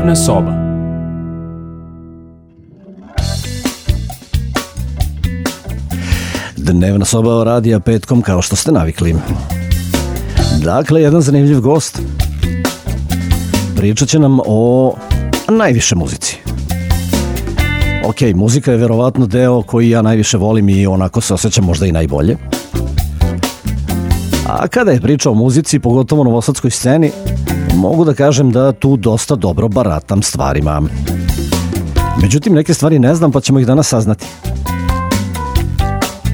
Dnevna soba. Dnevna soba radija petkom kao što ste navikli. Dakle, jedan zanimljiv gost. Pričat će nam o najviše muzici. Ok, muzika je verovatno deo koji ja najviše volim i onako se osjećam možda i najbolje. A kada je priča o muzici, pogotovo novosadskoj sceni, mogu da kažem da tu dosta dobro baratam stvarima. Međutim, neke stvari ne znam, pa ćemo ih danas saznati.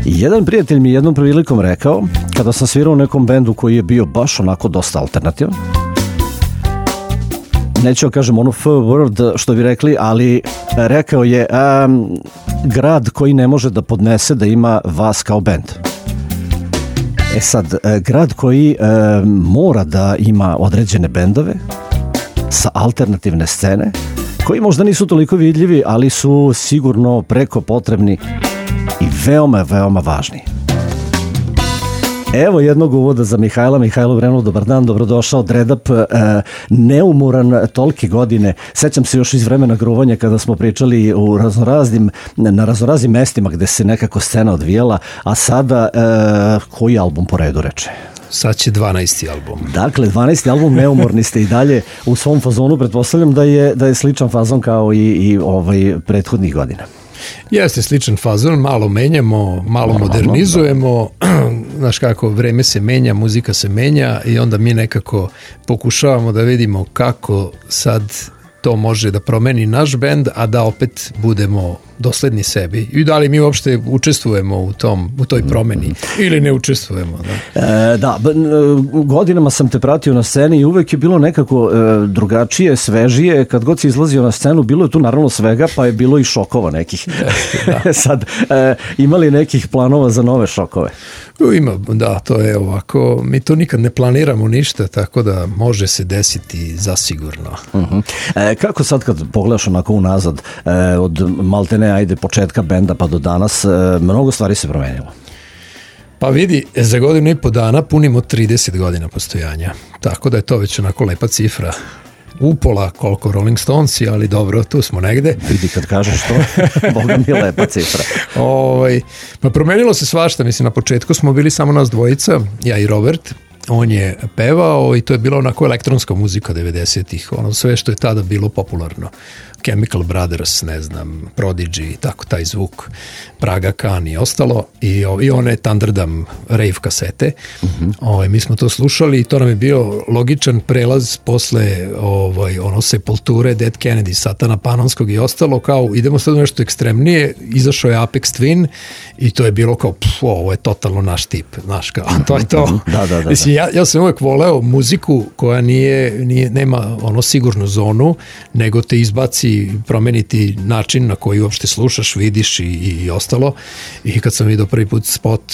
Jedan prijatelj mi jednom prilikom rekao, kada sam svirao u nekom bendu koji je bio baš onako dosta alternativan, neću kažem onu F-word što bi rekli, ali rekao je grad koji ne može da podnese da ima vas kao bend. E sad, grad koji mora da ima određene bendove sa alternativne scene, koji možda nisu toliko vidljivi, ali su sigurno preko potrebni i veoma, veoma važni. Evo jednog uvoda za Mihajla. Mihajlo Vrenov, dobar dan, dobrodošao. Dredup, neumoran tolike godine. Sećam se još iz vremena gruvanja kada smo pričali na raznoraznim mestima gde se nekako scena odvijala, a sada koji album po redu reče? Sad će 12. album. Dakle, 12. album, neumorni ste i dalje u svom fazonu. Pretpostavljam da je sličan fazon kao i prethodnih godina. Jeste sličan fazon, malo menjamo, malo modernizujemo, znaš kako, vreme se menja, muzika se menja i onda mi nekako pokušavamo da vidimo kako sad to može da promeni naš bend, a da opet budemo dosledni sebi. I da li mi uopšte učestvujemo u toj promeni ili ne učestvujemo. Da, godinama sam te pratio na sceni i uvek je bilo nekako drugačije, svežije. Kad god si izlazio na scenu, bilo je tu naravno svega, pa je bilo i šokova nekih. Da. Sad, imali nekih planova za nove šokove? Ima, da, to je ovako. Mi to nikad ne planiramo ništa, tako da može se desiti zasigurno. Kako sad kad pogledaš onako unazad, od maltene ajde početka benda pa do danas, mnogo stvari se promenilo? Pa vidi, za godinu i po dana punimo 30 godina postojanja, tako da je to već onako lepa cifra. Upola koliko Rolling Stonesi, ali dobro, tu smo negde. Vidi kad kažeš to, boga mi lepa cifra. Pa promenilo se svašta, mislim, na početku smo bili samo nas dvojica, ja i Robert. On je pevao i to je bila onako elektronska muzika 90-ih, ono sve što je tada bilo popularno. Chemical Brothers, ne znam, Prodigy, tako taj zvuk, Praga Khan i ostalo. I one Thunderdam rave kasete. Mi smo to slušali i to nam je bio logičan prelaz posle Sepulture, Dead Kennedy, Satana Panonskog i ostalo, kao idemo sad u nešto ekstremnije. Izašao je Aphex Twin i to je bilo kao, ovo je totalno naš tip, znaš, kao, to je to. Da. Mislim, ja sam uvek voleo muziku koja nema sigurnu zonu, nego te izbaci, promeniti način na koji uopšte slušaš, vidiš i ostalo. I kad sam vidio prvi put spot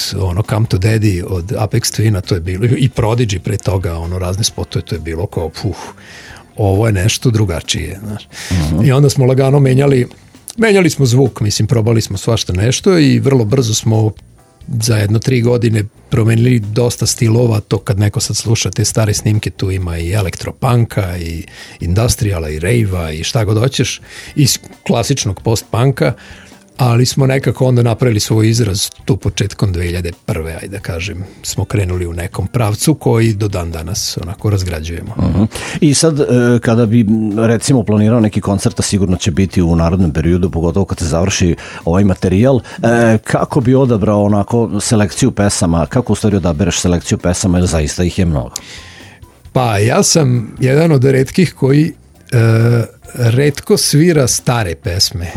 Come to Daddy od Aphex Twina, to je bilo, i Prodigy pre toga, razne spotove, to je bilo kao, ovo je nešto drugačije, znaš. I onda smo lagano menjali smo zvuk, mislim, probali smo svašta nešto i vrlo brzo smo za 1-3 godine promenili dosta stilova. To kad neko sad sluša te stare snimke, tu ima i elektropunka i industriala i rave-a i šta god hoćeš, i klasičnog post-punka, ali smo nekako onda napravili svoj izraz tu početkom 2001. ajde da kažem, smo krenuli u nekom pravcu koji do dan danas onako razgrađujemo. I sad kada bi recimo planirao neki koncert, a sigurno će biti u narednom periodu, pogotovo kad se završi ovaj materijal, kako bi odabrao onako selekciju pesama, kako u stvari odabereš selekciju pesama, jer zaista ih je mnogo? Pa ja sam jedan od retkih koji retko svira stare pesme.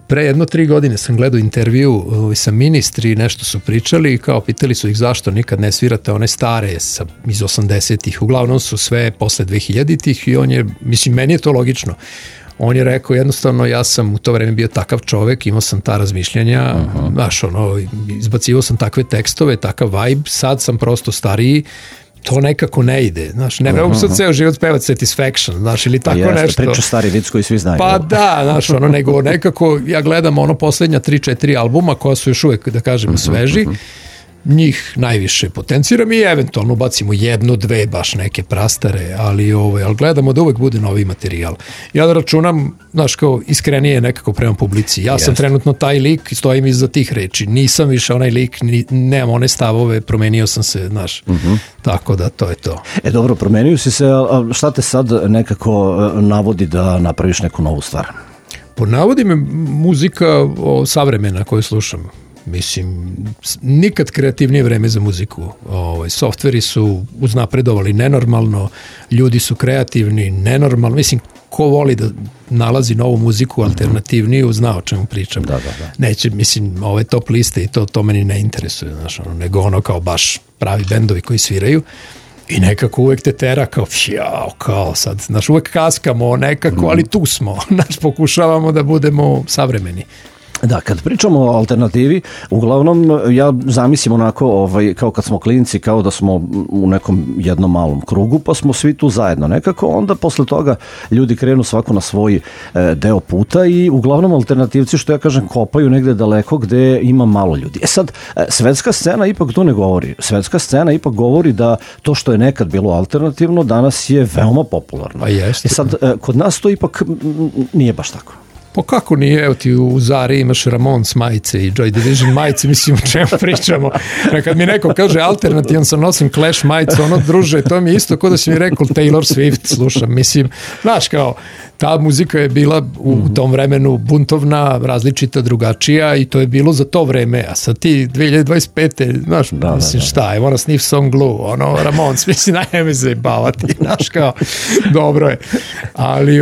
Pre 1-3 godine sam gledao intervju sa Ministri, nešto su pričali i kao pitali su ih zašto nikad ne svirate one stare iz 80-ih. Uglavnom su sve posle 2000-ih i meni je to logično. On je rekao jednostavno, ja sam u to vreme bio takav čovek, imao sam ta razmišljanja, znaš, izbacivao sam takve tekstove, takav vibe, sad sam prosto stariji, to nekako ne ide, znaš, ne mogu sad ceo život pevati Satisfaction, znaš, ili tako nešto. Priča stari vic koji svi znaju. Pa da, znaš, nego nekako ja gledam posljednja 3-4 albuma koja su još uvek, da kažemo, sveži, njih najviše potenciram i eventualno bacimo jednu, dve baš neke prastare, ali gledamo da uvek bude novi materijal. Ja da računam, znaš, kao iskrenije nekako prema publici. Ja sam trenutno taj lik i stojim iza tih reči. Nisam više onaj lik, nemam one stavove, promenio sam se, znaš. Tako da to je to. Dobro, promenio si se, a šta te sad nekako navodi da napraviš neku novu stvar? Navodi me muzika savremena koju slušam. Mislim, nikad kreativnije vreme za muziku. Softveri su uznapredovali nenormalno, ljudi su kreativni nenormalno. Mislim, ko voli da nalazi novu muziku alternativniju, zna o čemu pričam. Da. Neće, mislim, ove top liste i to meni ne interesuje, znaš, nego ono kao baš pravi bendovi koji sviraju. I nekako uvek te tera kao sad, znaš, uvek kaskamo nekako, ali tu smo, znaš, pokušavamo da budemo savremeni. Da, kad pričamo o alternativi, uglavnom ja zamislim onako kao kad smo klinci, kao da smo u nekom jednom malom krugu, pa smo svi tu zajedno nekako, onda posle toga ljudi krenu svako na svoj deo puta i uglavnom alternativci, što ja kažem, kopaju negde daleko gde ima malo ljudi. Sad, svetska scena ipak to ne govori. Svetska scena ipak govori da to što je nekad bilo alternativno, danas je veoma popularno. Pa jeste. Sad, kod nas to ipak nije baš tako. Pa kako nije, evo ti u Zari imaš Ramones majice i Joy Division majice, mislim o čemu pričamo. Kad mi neko kaže alternativan sam nosim Clash majice, druže, to mi je isto kao da si mi rekao Taylor Swift slušam, mislim, znaš kao, ta muzika je bila u tom vremenu buntovna, različita, drugačija i to je bilo za to vreme, a sad ti 2025. Znaš, mislim šta, I wanna sniff some glue, Ramones, mislim, najme se bavati, znaš kao, dobro je. Ali,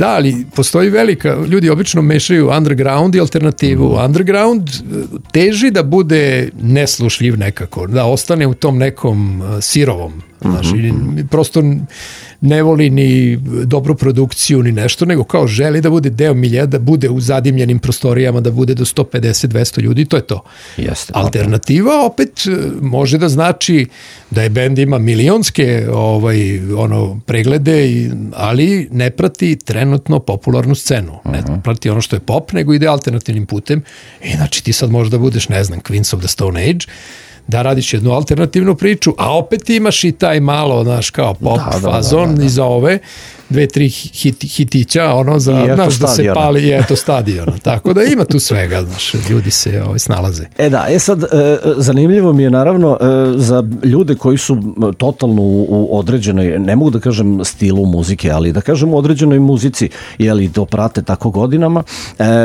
ali postoji velika, ljudi obično mešaju underground i alternativu. Underground teži da bude neslušljiv nekako, da ostane u tom nekom sirovom, znaš, prosto ne voli ni dobru produkciju ni nešto, nego kao želi da bude deo milija, da bude u zadimljenim prostorijama, da bude do 150-200 ljudi, to je to. Jeste. Alternativa opet može da znači da je bend ima milionske preglede, ali ne prati trenutno popularnu scenu. Ne prati ono što je pop, nego ide alternativnim putem. I znači ti sad možda budeš, ne znam, Queens of the Stone Age, da radiš jednu alternativnu priču, a opet imaš i taj malo, znaš, kao pop fazon iza ove, 2-3 hitića, znaš, da se pali, i eto stadiona. Tako da ima tu svega, znaš, ljudi se snalaze. Sad, zanimljivo mi je naravno za ljude koji su totalno u određenoj, ne mogu da kažem stilu muzike, ali da kažem u određenoj muzici, jeli to prate tako godinama,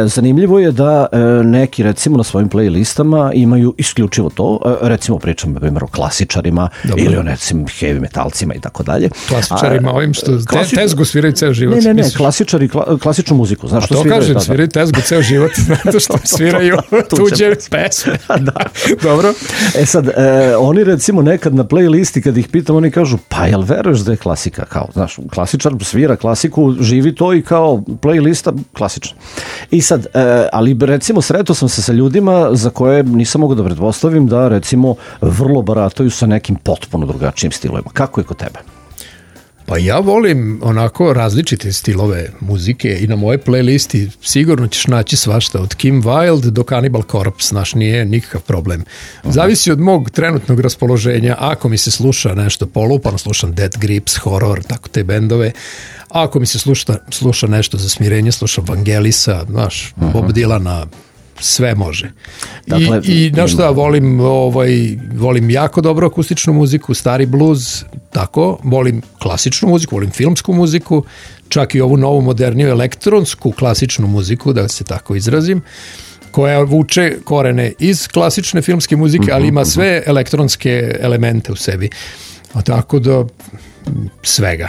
zanimljivo je da neki, recimo, na svojim playlistama imaju isključivo to, recimo pričam o klasičarima ili o recimo heavy metalcima i tako dalje. Klasičarima ovim što tezgu sviraju ceo život. Ne, klasičari, klasičnu muziku. Znaš, a to kažem, sviraju tezgu ceo život, zato što sviraju tuđe pesme. Dobro. Sad, oni recimo nekad na playlisti, kad ih pitam, oni kažu, pa jel veruješ da je klasika? Kao, znaš, klasičar svira klasiku, živi to i kao playlista klasična. I sad, ali recimo sretao sam se sa ljudima za koje nisam mogu da pretpostavim da recimo vrlo barataju sa nekim potpuno drugačijim stilovima. Kako je kod tebe? Pa ja volim onako različite stilove muzike i na moje playlisti sigurno ćeš naći svašta od Kim Wilde do Cannibal Corpse, znaš, nije nikakav problem. Zavisi od mog trenutnog raspoloženja, ako mi se sluša nešto polupano, slušam Death Grips, horror, tako te bendove, ako mi se sluša nešto za smirenje, slušam Vangelisa, znaš, Bob Dylana, sve može. Dakle, I znaš šta, volim jako dobro akustičnu muziku, stari blues, tako, volim klasičnu muziku, volim filmsku muziku, čak i ovu novu moderniju elektronsku klasičnu muziku, da se tako izrazim, koja vuče korene iz klasične filmske muzike, ali ima sve elektronske elemente u sebi. Tako da svega.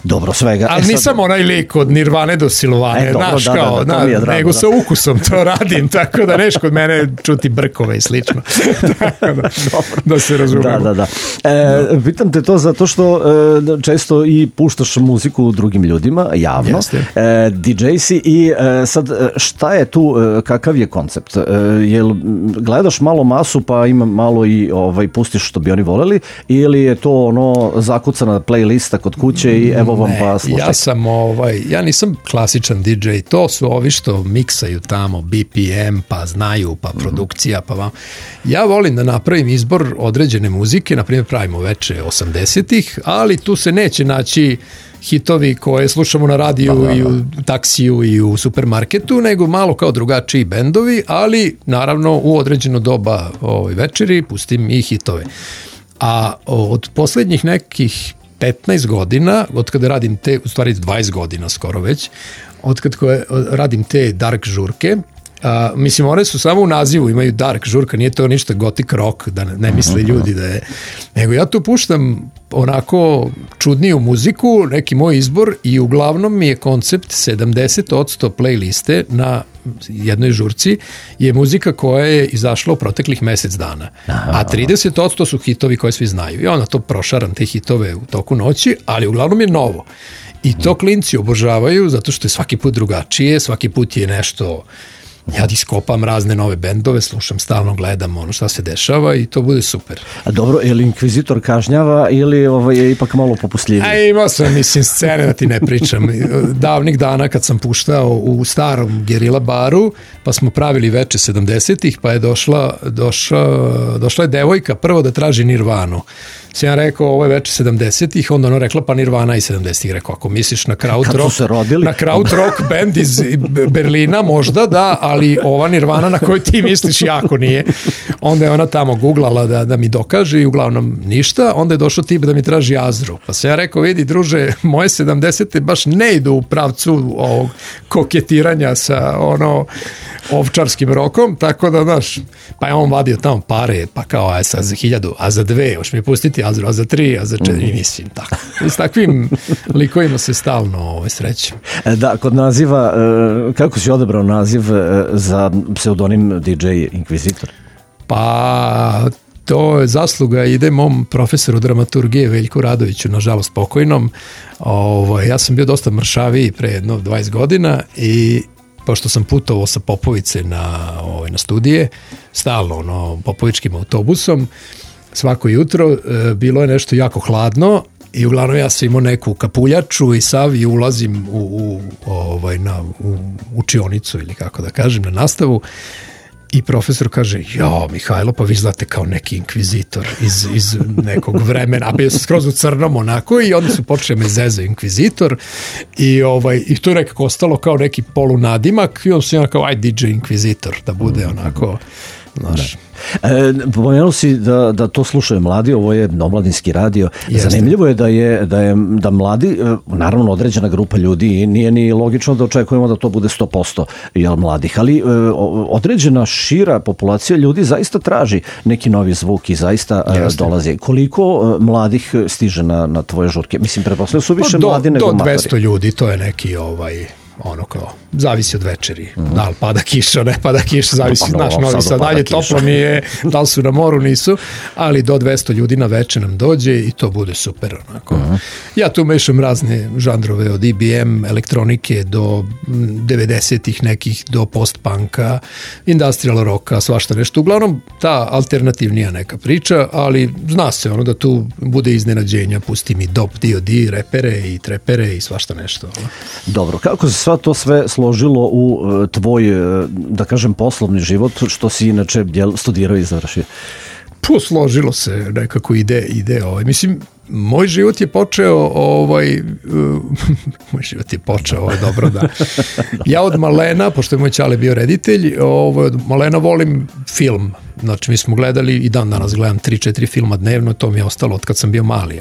Dobro, svega. Ali nisam onaj lik od Nirvane do Silvane, znaš, kao, nego sa ukusom to radim, tako da neš kod mene čuti brkove i slično. Tako da se razumemo. Da. Pitam te to zato što često i puštaš muziku drugim ljudima, javno. DJ si i sad šta je tu, kakav je koncept? Jel gledaš malo masu pa ima malo i pustiš što bi oni voleli ili je to zakucana playlist playlista kod kuće i evo vam pa slušajte. Ja nisam klasičan DJ, to su ovi što miksaju tamo, BPM, pa znaju, pa produkcija, pa vam. Ja volim da napravim izbor određene muzike, na primjer pravimo veče 80-ih, ali tu se neće naći hitovi koje slušamo na radiju i u taksiju i u supermarketu, nego malo kao drugačiji bendovi, ali naravno u određeno doba večeri pustim i hitove. A od poslednjih nekih 15 godina, od kada radim u stvari 20 godina skoro već, od kada radim te dark žurke, mislim, one su samo u nazivu, imaju dark žurka, nije to ništa gothic rock, da ne misle ljudi da je, nego ja tu puštam onako čudniju muziku, neki moj izbor i uglavnom mi je koncept 70% playliste na jednoj žurci je muzika koja je izašla u proteklih mesec dana, a 30% su hitovi koje svi znaju i onda to prošaram te hitove u toku noći, ali uglavnom je novo i to klinci obožavaju zato što je svaki put drugačije, svaki put je nešto. Ja iskopam razne nove bendove, slušam, stalno gledam ono šta se dešava i to bude super. A dobro, je li Inkvizitor kažnjava ili je ipak malo popustljiviji? Imao sam, scene da ti ne pričam. Davnih dana kad sam puštao u starom Gerila baru, pa smo pravili veče 70-ih, pa je došla je devojka prvo da traži Nirvanu. Sam ja rekao, ovo je veče 70-ih, onda ona rekla, pa Nirvana i 70-ih. Rekao, ako misliš na krautrock band iz Berlina, možda da, ali ova Nirvana na kojoj ti misliš jako nije. Onda je ona tamo googlala da mi dokaže i uglavnom ništa. Onda je došao tip da mi traži Azru. Pa sam ja rekao, vidi druže, moje 70-te baš ne idu u pravcu ovog koketiranja sa ovčarskim rokom, tako da, znaš, pa je on vadio tamo pare, pa kao, aj sad za 1000, a za 2, hoš mi pustiti Azru, a za 3, a za 4, mislim, tako. I s takvim likovima se stalno srećem. Da, kod naziva, kako si odabrao naziv za pseudonim DJ Inkvizitor? Pa, to je zasluga, ide mom profesoru dramaturgije Veljku Radoviću, nažalost pokojnom. Ja sam bio dosta mršaviji pre jedno 20 godina i pošto sam putovao sa Popovice na studije, stalno Popovičkim autobusom, svako jutro bilo je nešto jako hladno i uglavnom ja sam imao neku kapuljaču i sav i ulazim u učionicu ili kako da kažem, na nastavu. I profesor kaže, Mihajlo, pa vi znate kao neki inkvizitor iz nekog vremena, a bio sam skroz u crnom onako i onda su počeli me zezaju inkvizitor i to je nekako ostalo kao neki polunadimak i on se kao, aj DJ inkvizitor, da bude onako, znaš. Pomenuo si da to slušaju mladi, ovo je omladinski radio. Jeste. Zanimljivo je da mladi, naravno određena grupa ljudi i nije ni logično da očekujemo da to bude 100% mladih, ali određena šira populacija ljudi zaista traži neki novi zvuk i zaista dolazi. Koliko mladih stiže na tvoje žurke? Mislim, pretpostavljam su više mladi nego matori. Do 200 ljudi, to je neki kao, zavisi od večeri. Da li pada kiša, ne pada kiša, zavisi, znaš, Novi Sad, dalje toplo mi je, da li su na moru, nisu, ali do 200 ljudi na večer nam dođe i to bude super, onako. Ja tu mešam razne žanrove, od IBM, elektronike, do 90-ih nekih, do post-punka, industrial rocka, svašta nešto. Uglavnom, ta alternativnija neka priča, ali zna se da tu bude iznenađenja, pusti mi dop, D.O.D., repere i trepere i svašta nešto. Dobro, kako se sva to sve složilo u tvoj, da kažem, poslovni život, što si inače studirao i završio? Složilo se nekako ide. Mislim, moj život je počeo, dobro da. Ja od malena, pošto je moj ćale bio reditelj, od malena volim film. Znači, mi smo gledali, i dan danas gledam 3-4 filma dnevno, to mi je ostalo od kad sam bio mali,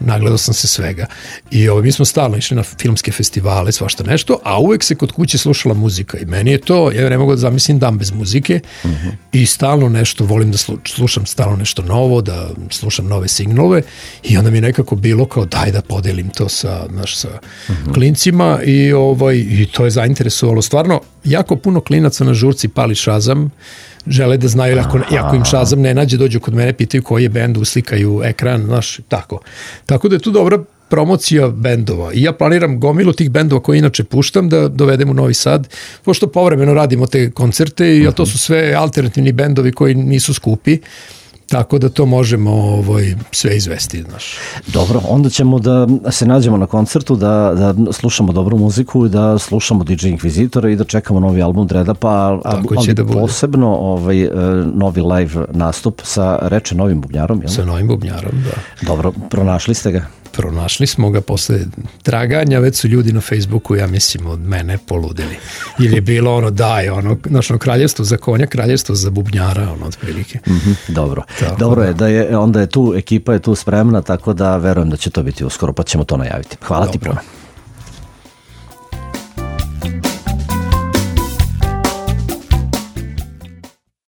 nagledao sam se svega. I mi smo stalno išli na filmske festivale, svašta nešto, a uvek se kod kuće slušala muzika i meni je to, ja ne mogu da zamislim dan bez muzike i stalno nešto, volim da slušam stalno nešto novo, da slušam nove signalove i onda mi je nekako bilo kao daj da podelim to sa klincima i to je zainteresovalo. Stvarno, jako puno klinaca na žurci pali Shazam, žele da znaju, ako im Shazam ne nađe, dođu kod mene, pitaju koji je bend, uslikaju ekran, znaš, tako. Tako da je tu dobra promocija bendova i ja planiram gomilu tih bendova koje inače puštam da dovedem u Novi Sad, pošto povremeno radimo te koncerte i to su sve alternativni bendovi koji nisu skupi, tako da to možemo sve izvesti. Znaš. Dobro, onda ćemo da se nađemo na koncertu, da slušamo dobru muziku i da slušamo DJ Inkvizitora i da čekamo novi album Dreada, ali da posebno novi live nastup sa Reče novim bubnjarom. Jel? Sa novim bubnjarom, da. Dobro, pronašli ste ga? Pronašli smo ga posle traganja, već su ljudi na Facebooku, ja mislim, od mene poludili. Ili je bilo našo kraljevstvo za konja, kraljevstvo za bubnjara, otprilike. Dobro. Dobro je, onda je tu, ekipa je tu spremna, tako da verujem da će to biti uskoro, pa ćemo to najaviti. Hvala ti puno.